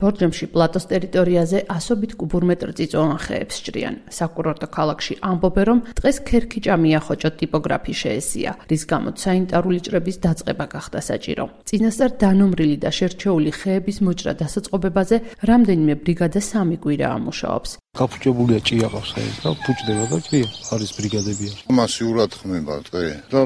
ბორჯომში პლატოს ტერიტორიაზე ასობით კუბურმეტრ წიწვოვან ხეებს სჭრიან. საკურორტო ქალაქში ამბობენ, რომ დღეს ქერქიჭა მიახოჭო ტიპოგრაფი შეესია, რის გამოც სანიტარული ჭრების დაწყება გახდა საჭირო. წინასწარ დანომრილი და შერჩეული ხეების მოჭრა დასაწყობებაზე რამდენიმე ბრიგადა 3 კვირაა მუშაობს. გაფუჭებულია ჭიაყავს ხეებს და ფუჭდება და ჭია არის ბრიგადებია. მასიურად ხმება დღე და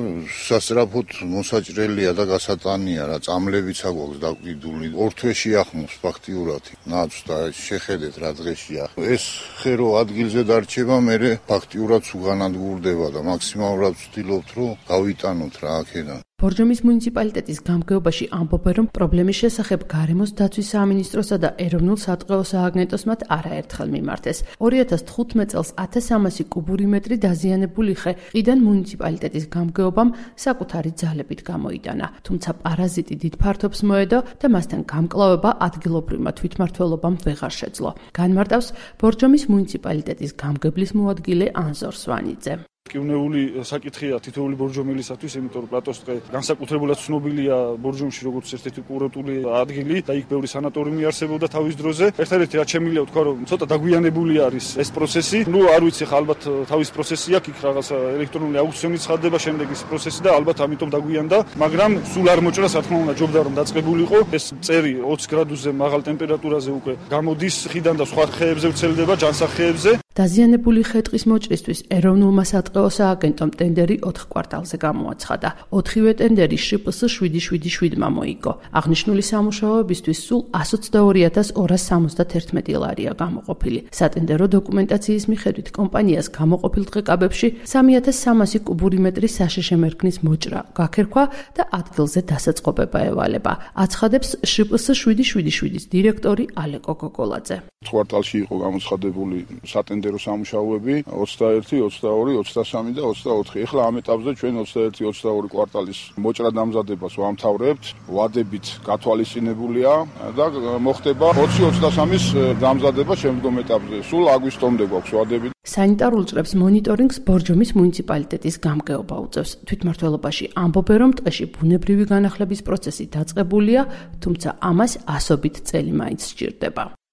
სასწრაფოდ მოსაჭრელია და გასატანია რა წამლებიც აქვს დაკვიდული. ორ თვეში ახმობს ფაქტიურად. ნაც და შეხედეთ რა დღეშია. ეს ხე რო ადგილზე დარჩება, მერე ფაქტიურად უგანადგურდება და მაქსიმალურად ვცდილობთ რომ გავიტანოთ რა აქედან. ბორჯომის მუნიციპალიტეტის გამგეობაში ამბობენ, რომ პრობლემის შესახებ გარემოს დაცვის სამინისტროსა და ეროვნულ სატყეო სააგენტოს მათ არაერთხელ მიმართეს. 2015 წელს 1300 კუბური მეტრი დაზიანებული ხე ყიდან მუნიციპალიტეტის გამგეობამ საკუთარი ძალებით გამოიტანა, თუმცა პარაზიტი დიდ ფართობს მოედო და მასთან გამკლავება ადგილობრივმა თვითმმართველობამ ვეღარ შეძლო. განმარტავს ბორჯომის მუნიციპალიტეტის გამგებლის მოადგილე ანზორ სვანიძე. კივნეული საკითხია თითოეული ბორჯომელისათვის, იმიტომ რომ პლატოს ტყე განსაკუთრებულად ცნობილია ბორჯომში როგორც ერთ-ერთი კურორტული ადგილი და იქ ბევრი სანატორიუმი არსებობდა თავის დროზე. ერთადერთი რაც შემიძლია ვთქვა, რომ ცოტა დაგვიანებული არის ეს პროცესი. არ ვიცი, ხა ალბათ თავის პროცესი აქვს, იქ რაღაცა ელექტრონული აუქციონი ცხადდება, შემდეგ ის პროცესი და ალბათ ამიტომ დაგვიანდა, მაგრამ სულ არ მოჭრას, რა თქმა უნდა, ჯობდა რომ დაწყებულიყო. ეს წერი 20 გრადუსზე მაღალ ტემპერატურაზე უკვე გამოდის ხიდან და სხვა ხეებზე ვრცელდება, ჯანსაღ-ხეებზე. დაზიანებული ხე-ტყის მოჭრისთვის ეროვნულმა სატყეო სააგენტომ ტენდერი 4 კვარტალზე გამოაცხადა. 4-ვე ტენდერი შპს 777-მა მოიგო. აღნიშნული სამუშაოებისთვის სულ 122271 ლარია გამოყოფილი. სატენდერო დოკუმენტაციის მიხედვით კომპანიას გამოყოფილ დღეკაბებში 3300 კუბური მეტრი საშიში მერქნის მოჭრა გაქერქვა და ადგილზე დასაწყობება ევალება. აცხადებს შპს 777-ის დირექტორი ალეკო გოგოლაძე. კვარტალში იყო გამოცხადებული სატენდერო სამუშაოები 21, 22, 23 და 24. ეხლა ამ ეტაპზე ჩვენ 21-22 კვარტალის მოჭრა დამზადებას ვამთავრებთ, ვადებით გათვალისწინებულია და მოხდება 20-23-ის დამზადება შემდგომ ეტაპზე. სულ აგვისტომდე გვაქვს ვადები. სანიტარულ ჭრებს მონიტორინგს ბორჯომის მუნიციპალიტეტის გამგეობა უწევს. თვითმმართველობაში ამბობენ, რომ ტყეში ბუნებრივი განახლების პროცესი დაწყებულია, თუმცა ამას ასობით წელი მაინც სჭირდება.